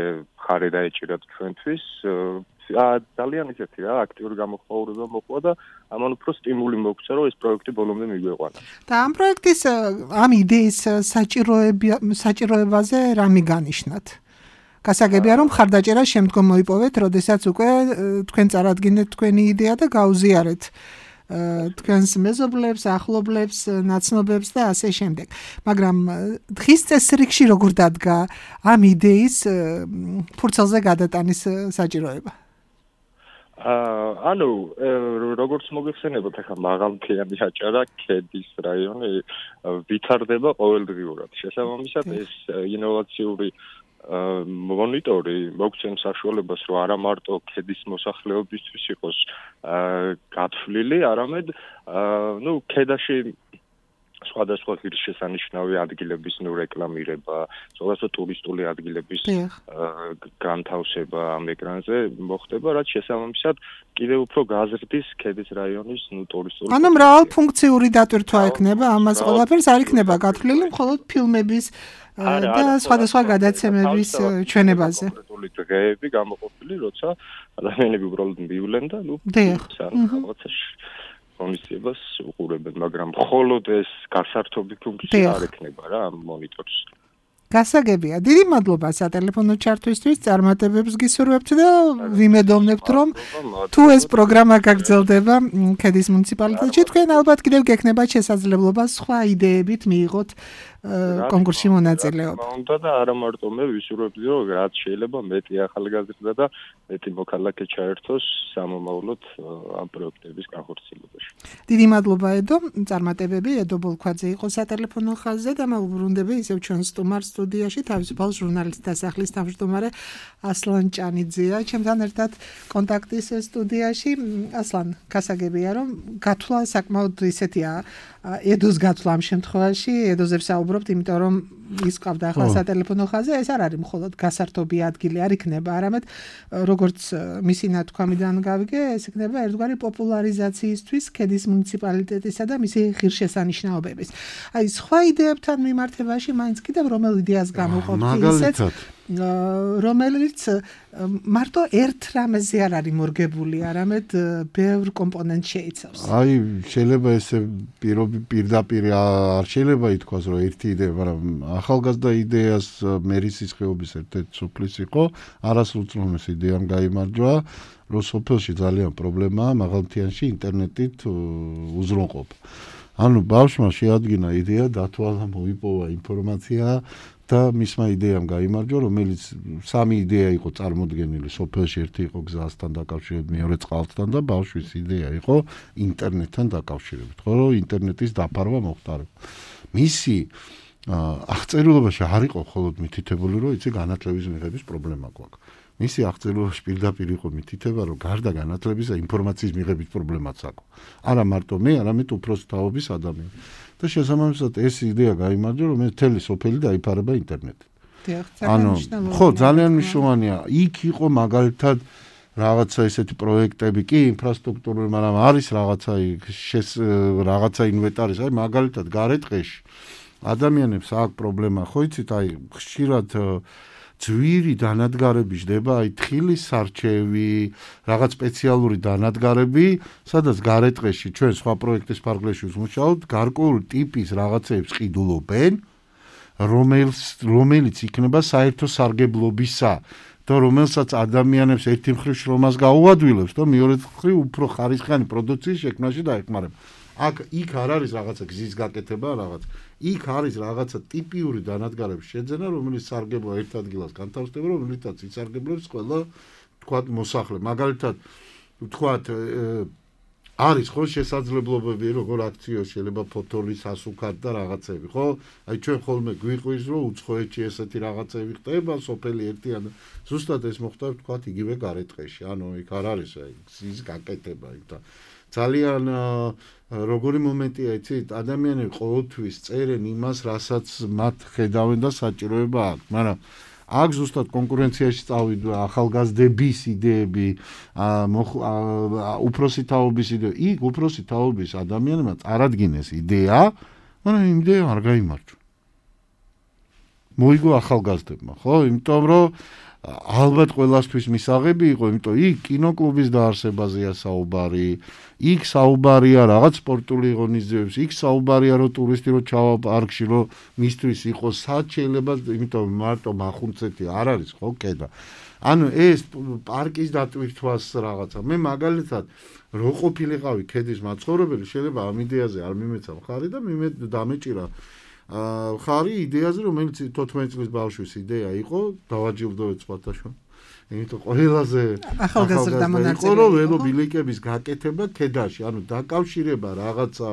ხარი დაეჭირათ ჩვენთვის. ძალიან ისეთი რა, აქტიური გამოხმაურება მოყვა და ამან უფრო სტიმული მოგცა, რომ ეს პროექტი ბოლომდე მიგვეყვანა. და ამ პროექტის ამ იდეის საჭიროებაზე რა მიგანიშნათ? გასაგებია რომ ხარდაჭერა შემდგომ მოიპოვეთ, როდესაც უკვე თქვენ წარადგინეთ თქვენი იდეა და გაუზიარეთ თქვენს მეზობლებს, ახლობლებს, ნაცნობებს და ასე შემდეგ. მაგრამ დღის წესრიგში როგორ დადგა ამ იდეის ფურცელზე გადატანის საჭიროება? ანუ როგორც მოგეხსენებათ, ახლა მაღალმთიანი აჭარა ქედის რაიონი ვითარდება ყოველდღიურად. შესაბამისად ეს ინოვაციური მონიტორი მოგცემს საშუალებას, რომ არა მარტო ქედის მოსახლეობისთვის იყოს გათვლილი, არამედ ნუ ქედაში სხვადასხვა ღირსშესანიშნავი ადგილების ნუ რეკლამირება, სხვადასხვა ტურისტული ადგილების განთავსება ამ ეკრანზე მოხდება, რაც შესაბამისად კიდევ უფრო გაზრდის ქედის რაიონის ნუ ტურისტული. ანუ მრავალფუნქციური დატვირთვა ექნება, ამას ყველაფერს არ იქნება გათვლილი მხოლოდ ფილმების და სხვადასხვა გადაცემების ჩვენებაზე. კონკრეტული დღეები გამოყოფილი, როცა ადამიანები უბრალოდ მივივლენ და ნუ რაღაცაში ღონისძიებას უყურებენ, მაგრამ მხოლოდ ეს გასართობი ფუნქცია არ ექნება რა ამ მონიტორს. გასაგებია. დიდი მადლობა სატელეფონო ჩართვისთვის, წარმატებებს გისურვებთ და ვიმედოვნებთ, რომ თუ ეს პროგრამა გაგრძელდება ქედის მუნიციპალიტეტში, თქვენ ალბათ კიდევ გექნებათ შესაძლებლობა სხვა იდეებით მიიღოთ კონკურსში მონაწილეობა. უნდა და არა მარტო მე ვისურვებდი, რომ რაც შეიძლება მეტი ახალგაზრდა და მეტი მოქალაქე ჩაერთოს სამომავლოდ ამ პროექტების განხორციელებაში. დიდი მადლობა ედო, წარმატებები, ედო ბოლქვაძე იყო სატელეფონო ხაზზე და მოვუბრუნდები ისევ ჩვენ სტუმარ სტუდიაში თავისუფალ ჟურნალისტთა დასახლის თავმჯდომარე ასლან ჭანიძეა. ჩემთან ერთად კონტაქტის სტუდიაში. ასლან, გასაგებია, რომ გათვლა საკმაოდ ისეთია, ედოს გათვლა ამ შემთხვევაში, ედოზე ვსაუბრობთ, იმიტომ რომ ის ყავდა ახლა სატელეფონო ხაზზე, ეს არ არის მხოლოდ გასართობი ადგილი არ იქნება, არამედ როგორც მისი ნათქვამიდან გავიგე, ეს იქნება ერთგვარი პოპულარიზაციისთვის ქედის მუნიციპალიტეტისა და მისი ღირსშესანიშნაობების. აი, სხვა იდეებთან მიმართებაში მაინც კიდევ რომელ იდეას გამოყოფთ ისეც, რომელიც მარტო ერთ რამეზე არ არის მორგებული, არამედ ბევრ კომპონენტს შეიცავს. აი, შეიძლება ესე პირდაპირ არ შეიძლება ითქვას, რომ ერთი იდეა, მაგრამ ახალგაზრდა იდეას მერისის ხეობის ერთ-ერთი სოფლის იყო, არასრულწლოვანეს იდეამ გაიმარჯვა, რომ სოფელში ძალიან პრობლემაა მაღალმთიანში ინტერნეტით უზრუნყოფა. ანუ ბავშვმა შეადგინა იდეა, დათვალა, მოიპოვა ინფორმაცია და მისმა იდეამ გაიმარჯვა, რომელიც სამი იდეა იყო წარმოდგენილი სოფელში, ერთი იყო გზასთან დაკავშირებით, მეორე წყალთან და ბავშვის იდეა იყო ინტერნეტთან დაკავშირებით, ხო, რომ ინტერნეტის დაფარვა მოხდარიყო. მისი აღწერილობაში არ იყო მხოლოდ მითითებული, რომ იცი განათლების მიღების პრობლემა გვაქვს. მისი აღწერილობაში პირდაპირ იყო მითითება, რომ გარდა განათლებისა ინფორმაციის მიღების პრობლემაც აქვს. არა მარტო მე, არამედ უფროსი თაობის ადამიანი. და შესაბამისად ეს იდეა გაიმარჯვა, რომ მთელი სოფელი დაიფარება ინტერნეტით. ანუ ხო, ძალიან მნიშვნელოვანია. იქ იყო მაგალითად რაღაცა ესეთი პროექტები, კი, ინფრასტრუქტურული, მაგრამ არის რაღაცა შეს რაღაცა ინვენტარის, აი მაგალითად გარეთყეში ადამიანებს აქვს პრობლემა, ხო იცით, აი ხშირად ძვირი დანადგარები ჯდება, აი თხილის სარჩევი, რაღაც სპეციალური დანადგარები, სადაც გარეთყეში ჩვენ სხვა პროექტის ფარგლებში ვმუშაობთ, გარკვეული ტიპის რაღაცეებს ყიდულობენ, რომელიც რომელიც იქნება საერთო სარგებლობისა და რომელსაც ადამიანებს ერთი მხრივ შრომას გაუადვილებს და მეორე მხრივ უფრო ხარისხიანი პროდუქციის შექმნაში დაეხმარება. აქ იქ არ არის რაღაცა გზის გაკეთება, რაღაც. იქ არის რაღაცა ტიპიური დანადგარების შეძენა, რომელიც სარგებლო ერთ ადგილას განთავსდება, რომელიცაც ისარგებლებს ყველა თქვათ მოსახლე. მაგალითად, თქვათ არის ხო შესაძლებლობები, როგორ აქციო შეიძლება ფოთოლის ასუქად და რაღაცები, ხო? აი ჩვენ ხოლმე გვიყვირს, რომ უცხოეთში ესეთი რაღაცები ხდება, სოფელი ერთიან. ზუსტად ეს მოხდა თქვათ იგივე გარეთყეში. ანუ იქ არ არის აი გზის გაკეთება იქ და ძალიან როგორი მომენტია, იცით, ადამიანები ყოველთვის წერენ იმას, რასაც მათ ხედავენ და საჭიროება აქვს, მაგრამ აქ ზუსტად კონკურენციაში წავიდა ახალგაზრდების იდეები, უფროსი თაობის იდეები. იქ უფროსი თაობის ადამიანებმა წარადგინეს იდეა, მაგრამ იმ იდეამ არ გაიმარჯვა. მოიგო ახალგაზრდებმა, ხო? იმიტომ რომ ალბათ ყველასთვის მისაღები იყო, იმიტომ იქ კინოკლუბის დაარსებაზეა საუბარი, იქ საუბარია რაღაც სპორტული ღონისძიებების, იქ საუბარია რომ ტურისტი რო ჩავა პარკში, რომ მისთვის იყოს სად შეიძლება, იმიტომ მარტო მახუნცეთი არ არის, ხო, კედა. ანუ ეს პარკის დატვირთვას რაღაცა. მე მაგალითად რო ყოფილიყავი ქედის მაცხოვრებელი, შეიძლება ამ იდეაზე არ მიმეცა მხარი და მიმედ დამეჭირა ხარი იდეაზე, რომელიც თოთხმეტი წლის ბავშვის იდეა იყო, დავაჯილდოვეთ სხვათაშო. იმიტომ ყველაზე ახალგაზრდა მონაწილე იყო, რომ ველო ბილიკების გაკეთება ქედაში, ანუ დაკავშირება რაღაცა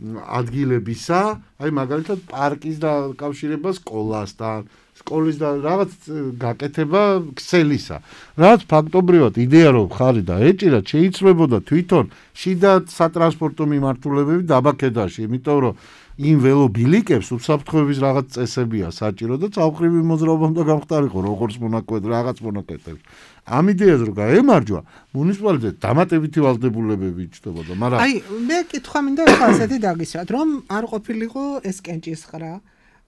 ადგილებისა, აი მაგალითად პარკის დაკავშირება სკოლასთან, სკოლის და რაღაც გაკეთება ქსელისა. რაც ფაქტობრივად იდეა რომ ხარი და ეჭირა შეიცვლებოდა თვითონ შიდა სატრანსპორტო მიმართულებები დაბა ქედაში, იმიტომ რომ იმ ველობილიკებს უსაფრთხოების რაღაც წესებია საჭირო და ცალკრივი მოძრაობა უნდა გამხდარიყო როგორც მონაკვეთ რაღაც მონაკვეთებში. ამ იდეას რო გაემარჯვა, მუნიციპალიტეტი დამატებითი ვალდებულებები იჩნდებოდა, მაგრამ აი, მე კითხვა მინდა ახლა ასეთი დაგისვათ, რომ არ ყოფილიყო ეს კენჭისყრა,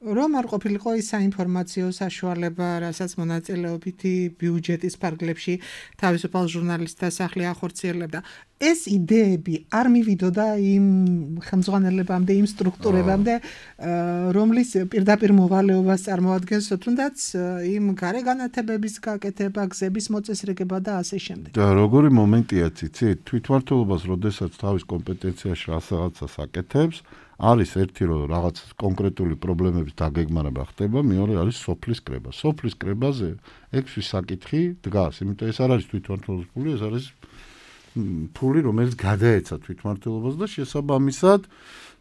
რომ არ ყოფილიყო ის საინფორმაციო საშუალება, რასაც მონაწილეობითი ბიუჯეტის ფარგლებში თავისუფალ ჟურნალისტთა სახლი ახორციელებდა. ეს იდეები არ მივიდოდა იმ ხელმძღვანელებამდე, იმ სტრუქტურებამდე, რომლის პირდაპირ მოვალეობას წარმოადგენს თუნდაც იმ გარე განათებების გაკეთება, გზების მოწესრიგება და ასე შემდეგ. და როგორი მომენტია ციცი, თვითმმართველობას როდესაც თავის კომპეტენციაში რაღაცას აკეთებს, არის ერთი რომ რაღაც კონკრეტული პრობლემების დაგეგმარება ხდება, მეორე არის სოფლის კრება. სოფლის კრებაზე ექვსი საკითხი დგას, იმიტომ ეს არ არის თვითმმართველობის ფული, ეს არის ფული, რომელიც გადაეცა თვითმმართველობას და შესაბამისად,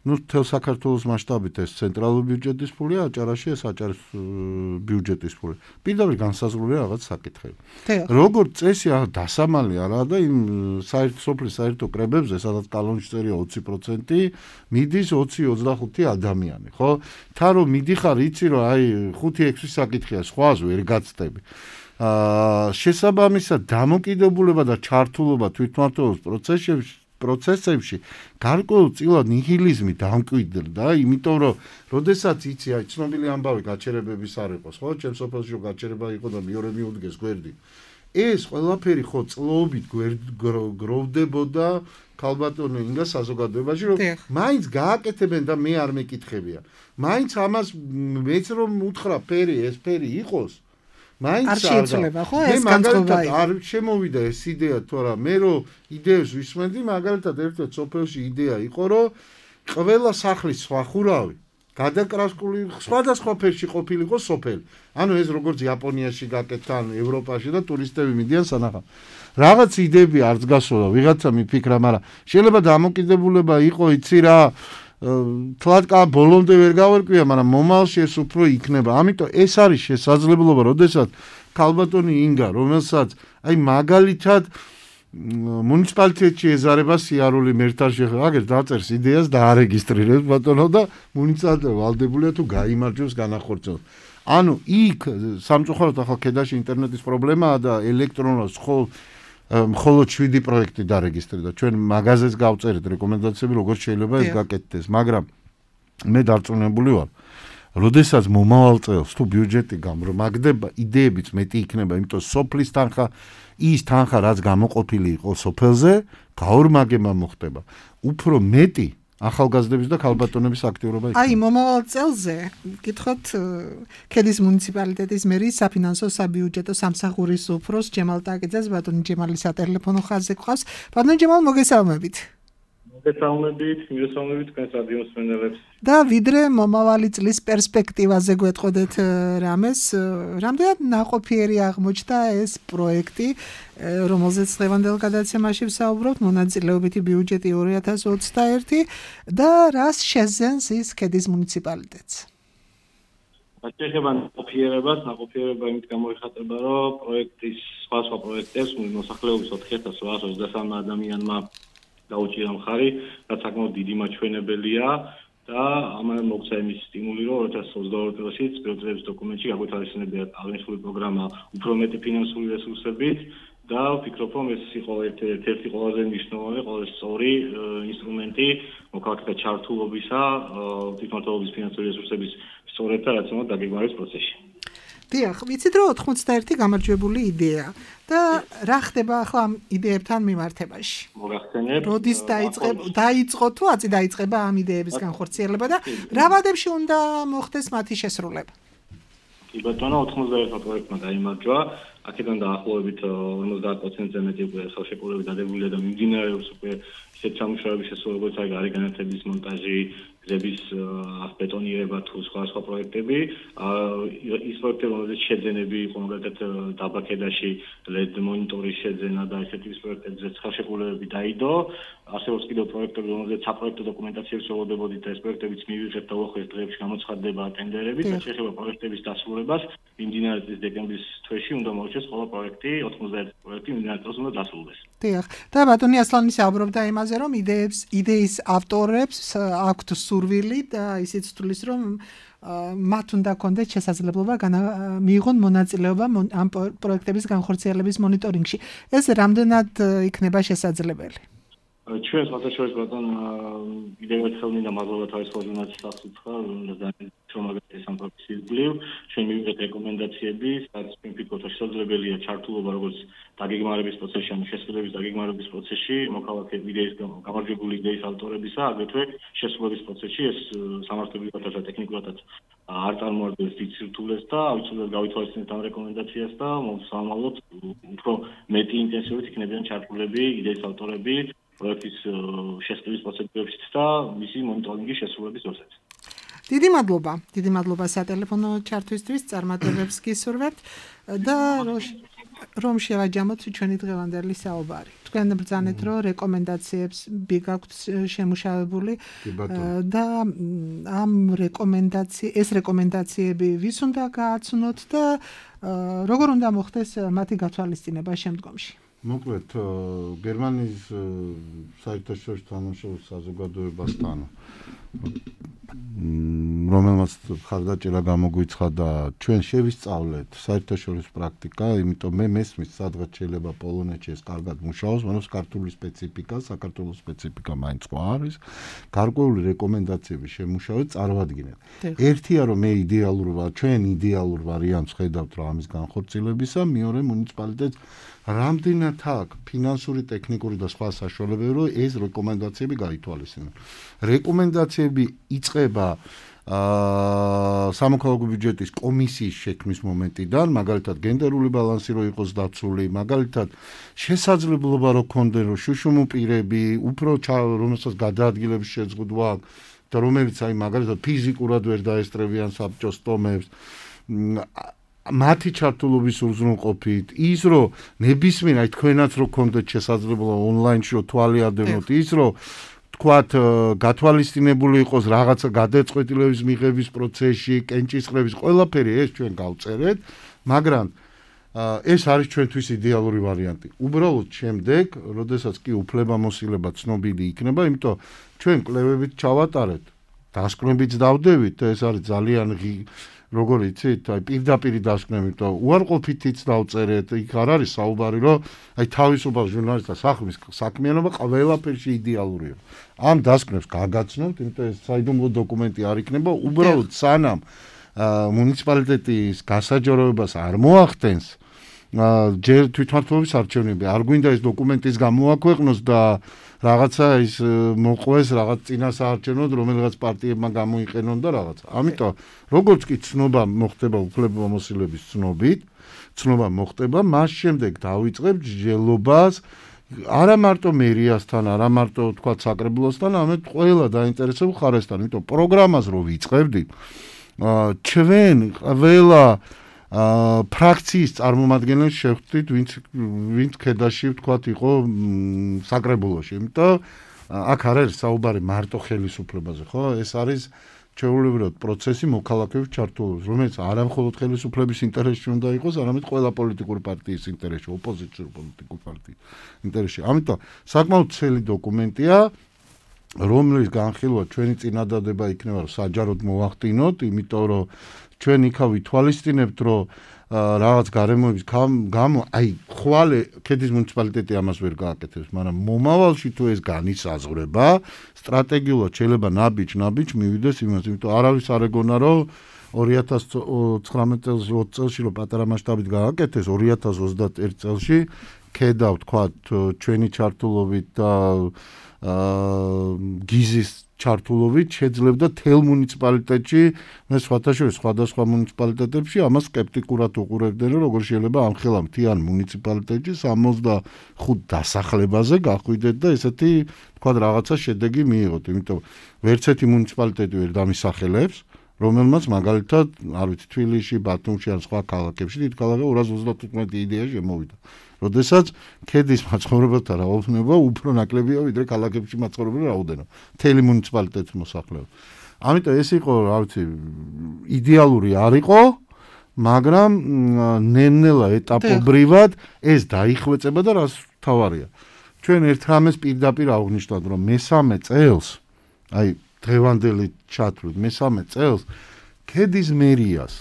ну, თელ საქართველოს მასშტაბით ეს ცენტრალური ბიუჯეტის ფულია, აჭარაში ეს აჭარის ბიუჯეტის ფული. პირდაპირ განსაზღვრულია რაღაც საკითხები. როგორც წესი, დასამალი არაა და იმ საერთო სოფლის საერთო კრებებზე, სადაც კანონში წერია ოცი პროცენტი, მიდის ოცი ოცდახუთი ადამიანი, ხო? თან რომ მიდიხარ, იცი რომ აი ხუთი ექვსი საკითხია, სხვას ვერ გაცდები. აა შესაბამისად დამოკიდებულება და ჩართულობა თვითმმართველობის პროცესებში პროცესებში გარკვეულწილად ნიჰილიზმი დამკვიდრდა, იმიტომ რომ როდესაც იცი, აი ცნობილი ამბავი გაჩერებების არ იყოს, ხო? ჩემს სოფელში რომ გაჩერება იყო და მეორე მიუდგეს გვერდი. ეს ყველაფერი ხო წლობით გროვდებოდა ქალბატონო ინგა საზოგადოებაში, რომ მაინც გააკეთებენ და მე არ მეკითხებია. მაინც ამას მეც რომ უთხრა ფერი, ეს ფერი იყოს მაინც არ შეიცვლება ხო ეს განწყობა არ შემოვიდა ეს იდეა თორა მე რომ იდეებს ვისმენდი მაგალითად ერთ-ერთ სოფელში იდეა იყო რომ ყველა სახლის სხვა ხურავი გადაკრასკული სხვადასხვა ფერში ყოფილიყო სოფელი ანუ ეს როგორც იაპონიაში გაკეთთან ევროპაში და ტურისტები მიდიან სანახავ რაღაც იდეები არც გასულა ვიღაცა მიფიქრა მაგრამ შეიძლება დამოკიდებულება იყო იცი რა თლად კა ბოლომდე ვერ გავერკვია, მაგრამ მომავალში ეს უფრო იქნება. ამიტომ ეს არის შესაძლებლობა, როდესაც ქალბატონი ინგა, რომელსაც აი მაგალითად მუნიციპალიტეტში ეზარება სიარული მერტარში აგერ დაწერს იდეას და არეგისტრირებს ბატონო და მუნიციპალიტეტი ვალდებულია თუ გაიმარჯვებს განახორციელოს. ანუ იქ სამწუხაროდ ახლა ქედაში ინტერნეტის პრობლემაა და ელექტრონულად ხოლ მხოლოდ შვიდი პროექტი დარეგისტრირდა. ჩვენ მაღაზიას გავწერეთ რეკომენდაციები, როგორ შეიძლება ეს გაკეთდეს, მაგრამ მე დარწმუნებული ვარ, როდესაც მომავალ წელს თუ ბიუჯეტი გამრაგდება, იდეებიც მეტი იქნება, იმიტომ სოფლის თანხა, ის თანხა, რაც გამოყოფილი იყო სოფელზე, გაორმაგება მოხდება. უფრო მეტი ახალგაზრდების და ქალბატონების აქტიურობა იქნება. აი, მომავალ წელზე, გითხოთ, ქედის მუნიციპალიტეტის მერის საფინანსო საბიუჯეტო სამსახურის უფროს ჯემალ ტაკიძეს, ბატონი ჯემალი სატელეფონო ხაზზე გვყავს. ბატონი ჯემალ, მოგესალმებით. მოგესალმებით, მოგესალმებით თქვენს რადიო მსმენელებს. და ვიდრე მომავალი წლის პერსპექტივაზე გვეტყოდეთ რამეს, რამდენად ნაყოფიერი აღმოჩნდა ეს პროექტი, რომელზეც დღევანდელ გადაცემაში ვსაუბრობთ, მონაწილეობითი ბიუჯეტი ორი ათას ოცდაერთი და რას შეძენს ის ქედის მუნიციპალიტეტს? შეიძლება ნაყოფიერებას, ნაყოფიერება იმით გამოიხატება, რომ პროექტის სხვა სხვა პროექტებს მოსახლეობის ოთხი ათას რვაას ოცდასამი ადამიანმა დაუჭირა მხარი, რაც საკმაოდ დიდი მაჩვენებელია და ამან მოგცა იმის სტიმული, რომ ორი ათას ოცდაორი წელს პრიორიტეტების დოკუმენტში გაგვეთვალისწინებია აღნიშნული პროგრამა უფრო მეტი ფინანსური რესურსებით და ვფიქრობ, რომ ეს იყო ერთ-ერთი ყველაზე მნიშვნელოვანი, ყველაზე სწორი ინსტრუმენტი მოქალაქეთა ჩართულობისა, თვითმმართველობის ფინანსური რესურსების სწორად და რაციონალურ დაგეგმარების პროცესში. დიახ, ვიცით რომ ოთხმოცდაერთი გამარჯვებული იდეა და რა ხდება ახლა ამ იდეებთან მიმართებაში? მოგახსენებ. როდის დაიწყება, დაიწყო თუ აწი დაიწყება ამ იდეების განხორციელება და რა ვადებში უნდა მოხდეს მათი შესრულება? კი ბატონო, ოთხმოცდაერთმა პროექტმა გაიმარჯვა. აქედან დაახლოებით ორმოცდაათ პროცენტზე მეტი უკვე ხელშეკრულებით დადებულია და მიმდინარეობს უკვე ისეთ სამუშაოების შესრულება, როგორც არის გარე განათების მონტაჟი, გზების ბეტონირება თუ სხვა სხვა პროექტები. ის პროექტები, რომელზეც შეძენები იყო, მაგალითად დაბა ქედაში ლედ მონიტორის შეძენა და ესეთი პროექტებზეც ხელშეკრულებები დაიდო. არსებობს კიდევ პროექტები, რომელზეც საპროექტო დოკუმენტაციებს ველოდებოდით და ეს პროექტებიც მივიღეთ და უახლოეს დღეებში გამოცხადდება ტენდერები და შეიძლება პროექტების დასრულებას მიმდინარე წლის დეკემბრის თვეში უნდა მოუწეს ყველა პროექტი, ოთხმოცდაერთი პროექტი მიმდინარე წელს უნდა დასრულდეს. დიახ. და ბატონი ასლანი საუბრობდა იმაზე, რომ იდეებს, იდეის ავტორებს აქვთ სურვილი და ისიც თulis რომ მათ უნდა კონდეთ შესაძლებლობა მიიღონ მონაწილეობა ამ პროექტების განხორციელების მონიტორინგში. ეს რამდენად იქნება შესაძლებელი? ჩვენ საერთაშორისო ბატონ კიდევ ერთხელ მინდა მადლობა თავის ორგანიზაციის სახელმწიფო რომაგათი სამფაქციის გლივ ჩვენ მივიღეთ რეკომენდაციები სადაც ვფიქრობთ რომ შესაძლებელია ჩართულობა როგორც დაგეგმარების პროცესში ან შესრულების დაგეგმარების პროცესში მოქალაქე იდეის გამარჯვებული იდეის ავტორებისა აგრეთვე შესრულების პროცესში ეს სამართლებრივად და ტექნიკურადაც არ წარმოადგენს დიდ სირთულეს და აუცილებლად გავითვალისწინებთ ამ რეკომენდაციას და მოსამალოთ უფრო მეტი ინტენსივობით იქნებიან ჩართულები იდეის ავტორები პროექტის შესრულების პროცედურებში და მისი მონიტორინგის შესრულების დროსაც. დიდი მადლობა, დიდი მადლობა სატელეფონო ჩართვისთვის, წარმატებებს გისურვებთ და რომ შევაჯამოთ ჩვენი დღევანდელი საუბარი. თქვენ ბრძანეთ, რომ რეკომენდაციებს გაქვთ შემუშავებული და ამ რეკომენდაცი ეს რეკომენდაციები ვის უნდა გააცნოთ და როგორ უნდა მოხდეს მათი გათვალისწინება შემდგომში? მოკლედ გერმანიის საერთაშორისო თანამშრომლობის საზოგადოებასთან რომელმაც ხარდაჭერა გამოგვიცხადა ჩვენ შევისწავლეთ საერთაშორისო პრაქტიკა, იმიტომ მე მესმის სადღაც შეიძლება პოლონეთში ეს კარგად მუშაობს, მაგრამ ქართული სპეციფიკა, საქართველოს სპეციფიკა მაინც სხვა არის. გარკვეული რეკომენდაციები შემუშავეთ, წარვადგინეთ. ერთია რომ მე იდეალურ ვარ, ჩვენ იდეალურ ვარიანტს ხედავთ რა ამის განხორციელებისა, მეორე მუნიციპალიტეტს რამდენად აქვს ფინანსური, ტექნიკური და სხვა საშუალებები, რომ ეს რეკომენდაციები გაითვალისწინოს. რეკომენდაციები იწყება აა სამოქალაქო ბიუჯეტის კომისიის შექმნის მომენტიდან, მაგალითად გენდერული ბალანსი რო იყოს დაცული, მაგალითად შესაძლებლობა რო ქონდეს რომ შუშუმუ პირები, უფრო რომელსაც გადაადგილების შეზღუდვა და რომელიც აი მაგალითად ფიზიკურად ვერ დაესწრებიან საბჭოს ტომებს მათი ჩართულობის უზრუნყოფით, ის რომ ნებისმიერ აი თქვენაც რო გქონდეთ შესაძლებლობა ონლაინში რო თვალიადევნოთ, ის რომ თქვათ გათვალისწინებული იყოს რაღაცა გადაწყვეტილების მიღების პროცესში, კენჭისყრების ყველაფერი ეს ჩვენ გავწერეთ, მაგრამ ეს არის ჩვენთვის იდეალური ვარიანტი. უბრალოდ შემდეგ, როდესაც კი უფლებამოსილება ცნობილი იქნება, იმიტომ ჩვენ კვლევებით ჩავატარეთ, დასკვნებიც დავდებით და ეს არის ძალიან როგორ იცით, აი პირდაპირ დასკვნებით და უარყოფითიც დავწერეთ, იქ არ არის საუბარი, რომ აი თავისუფალ ჟურნალისტთა სახლის საქმიანობა ყველაფერში იდეალურია. ამ დასკვნებს გაგაცნობთ, იმიტომ ეს საიდუმლო დოკუმენტი არ იქნება, უბრალოდ სანამ მუნიციპალიტეტის გასაჯაროებას არ მოახდენს, ჯერ თვითმმართველობის არჩევნები არ გვინდა ეს დოკუმენტის გამოაქვეყნოს და რაღაცა ის მოყვეს რაღაც წინასაარჩევნოდ რომელიღაც პარტიებმა გამოიყენონ და რაღაც. ამიტომ როგორც კი ცნობა მოხდება უფლებამოსილების ცნობით, ცნობა მოხდება, მას შემდეგ დავიწყებ ჯელობას არა მარტო მერიასთან, არა მარტო თქვა საკრებულოსთან, ამეთ ყველა დაინტერესებულ ხარესთან. იმიტომ პროგრამას რო ვიწყებდით, ჩვენ ყველა აა ფრაქციის წარმომადგენლებს შევხვდით, ვინც ვინც ქედაში ვთქვათ იყო საკრებულოში. იმიტომ აქ არ არის საუბარი მარტო ხელისუფლებაზე, ხო? ეს არის ჩვეულებრივად პროცესი მოქალაქეების ჩართულობის, რომელიც არა მხოლოდ ხელისუფლების ინტერესში უნდა იყოს, არამედ ყველა პოლიტიკური პარტიის ინტერესში, ოპოზიციური პოლიტიკური პარტიის ინტერესში. ამიტომ საკმაოდ ცელი დოკუმენტია, რომლის განხილვა ჩვენი წინადადება იქნება, რომ საჯაროდ მოახდინოთ, იმიტომ რომ ჩვენ იქა ვითვალისწინებთ, რომ რაღაც გარემოების გამო, აი, ხვალე ქედის მუნიციპალიტეტი ამას ვერ გააკეთებს, მაგრამ მომავალში თუ ეს განისაზღვრება, სტრატეგიულად შეიძლება ნაბიჯ-ნაბიჯ მივიდეს იმას, იმიტომ არავის არ ეგონა, რომ ორი ათას ცხრამეტ წელს ოცი წელში რომ პატარა მასშტაბით გააკეთეს, ორი ათას ოცდაერთი წელში ქედა ვთქვათ ჩვენი ჩართულობით და აა გიზის ჩართულობით შეძლებდა თელ მუნიციპალიტეტში, მე სხვათა შორის სხვადასხვა მუნიციპალიტეტებში ამას სკეპტიკურად უყურებდნენ, რომ როგორ შეიძლება ამ ხელა მთიან მუნიციპალიტეტში სამოცდახუთ დასახლებაზე გახვიდეთ და ესეთი თქვა რაღაცა შედეგი მიიღოთ, იმიტომ ვერც ერთი მუნიციპალიტეტი ვერ დამისახელებს, რომელმაც მაგალითად, არ ვიცი, თბილისში, ბათუმში ან სხვა ქალაქებში დიდ ქალაქებში ორას ოცდათოთხმეტი იდეა შემოვიდა. როდესაც ქედის მაცხოვრებელთა რაოდენობა უფრო ნაკლებია ვიდრე ქალაქებში მაცხოვრებელთა რაოდენობა. მთელი მუნიციპალიტეტის მოსახლეობა. ამიტომ ეს იყო, რა ვიცი, იდეალური არ იყო, მაგრამ ნელ-ნელა ეტაპობრივად ეს დაიხვეწება და რას თავარია. ჩვენ ერთ რამეს პირდაპირ აღვნიშნავთ, რომ მესამე წელს, აი დღევანდელი ჩათვლით მესამე წელს ქედის მერიას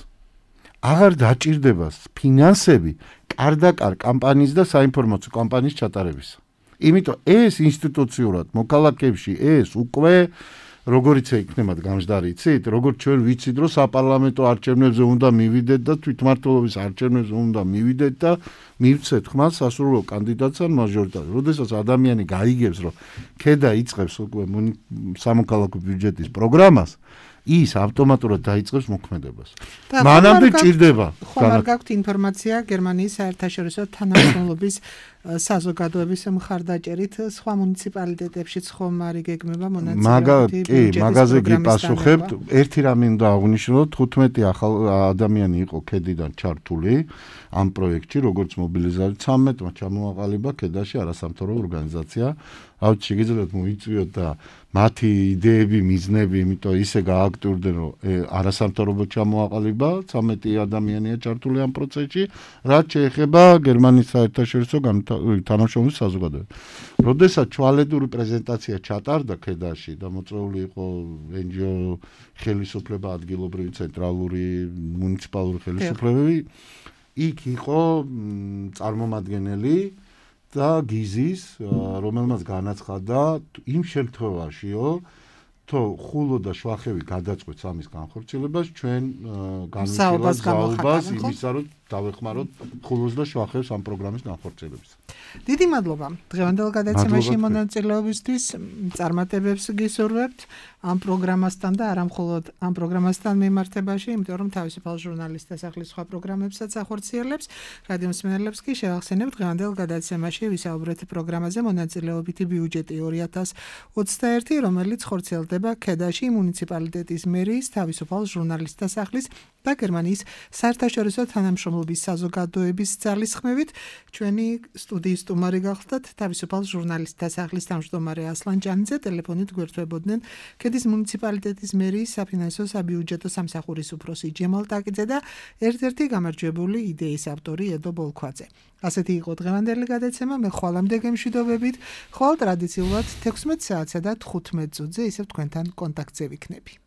აღარ დაჭირდება ფინანსები კარდაკარ კამპანიის და საინფორმაციო კამპანიის ჩატარებისა. იმიტომ ეს ინსტიტუციურად მოქალაქეებში ეს უკვე როგორიც იქნება გამჟდარი იცით, როგორც ჩვენ ვიცით, რომ საპარლამენტო არჩევნებზე უნდა მივიდეთ და თვითმმართველობის არჩევნებზე უნდა მივიდეთ და მივცეთ ხმას სასურველ კანდიდატს ან მაჟორიტარს. როდესაც ადამიანი გაიგებს, რომ ქედა იწყებს უკვე სამოქალაქო ბიუჯეტის პროგრამას, ის ავტომატურად დაიწყებს მოქმედებას. მანამდე ჭირდება. ხომ არ გაქვთ ინფორმაცია გერმანიის საერთაშორისო თანამშრომლობის საზოგადოების მხარდაჭერით სხვა მუნიციპალიტეტებშიც ხომ არ იგეგმება მონაწილეობითი ბიუჯეტის პროგრამის მაგაზე გიპასუხებთ. ერთი რამე უნდა აღვნიშნოთ, თხუთმეტი ახალ ადამიანი იყო ქედიდან ჩართული ამ პროექტში, როგორც მობილიზაცია, ცამეტმა ჩამოაყალიბა ქედაში არასამთავრობო ორგანიზაცია. რავით, შეგიძლიათ მოიწვიოთ და მათი იდეები, მიზნები, იმიტომ ისე გააქტიურდნენ, რომ არასამთავრობო ჩამოაყალიბა, ცამეტი ადამიანია ჩართული ამ პროცესში, რაც შეეხება გერმანიის საერთაშორისო თანამშრომლობის საზოგადოებას. როდესაც ჩვალედური პრეზენტაცია ჩატარდა ქედაში და მოწვეული იყო εν ჯი ო ხელისუფლება, ადგილობრივი, ცენტრალური, მუნიციპალური ხელისუფლებები, იქ იყო წარმომადგენელი და გიზის, რომელმაც განაცხადა იმ შემთხვევაშიო, თუ ხულო და შვახევი გადაწყვეტს ამის განხორციელებას, ჩვენ განვიხილავთ საუბარს იმისა, რომ დავეხმაროთ ხულოს და შვახევს ამ პროგრამის განხორციელებისა. დიდი მადლობა. დღევანდელ გადაცემაში მონაწილეობისთვის წარმატებებს გისურვებთ ამ პროგრამასთან და არა მხოლოდ ამ პროგრამასთან მიმართებაში, იმიტომ რომ თავისუფალ ჟურნალისტთა სასახლის სხვა პროგრამებსაც ახორციელებს. რადიო მსმენელებს კი შევახსენებთ დღევანდელ გადაცემაში ვისაუბრეთ პროგრამაზე მონაწილეობითი ბიუჯეტი ორი ათას ოცდაერთი, რომელიც ხორციელდება ქედაში მუნიციპალიტეტის მერიის, თავისუფალ ჟურნალისტთა სასახლის და გერმანიის საერთაშორისო თანამშრომლობის საზოგადოების ძალისხმევით. ჩვენი სტუდიის სტუმარი გახლდათ თავისუფალ ჟურნალისტთა სასახლის თავმჯდომარე ასლან ჭანიძე, ტელეფონით გვერდთვებოდნენ ქედის მუნიციპალიტეტის მერიის საფინანსო საბიუჯეტო სამსახურის უფროსი ჯემალ ტაკიძე და ერთ-ერთი გამარჯვებული იდეის ავტორი ედო ბოლქვაძე. ასეთი იყო დღევანდელი გადაცემა, მე ხვალამდე გემშვიდობებით, ხვალ ტრადიციულად თექვსმეტ საათსა და თხუთმეტ წუთზე ისევ თქვენთან კონტაქტზე ვიქნები.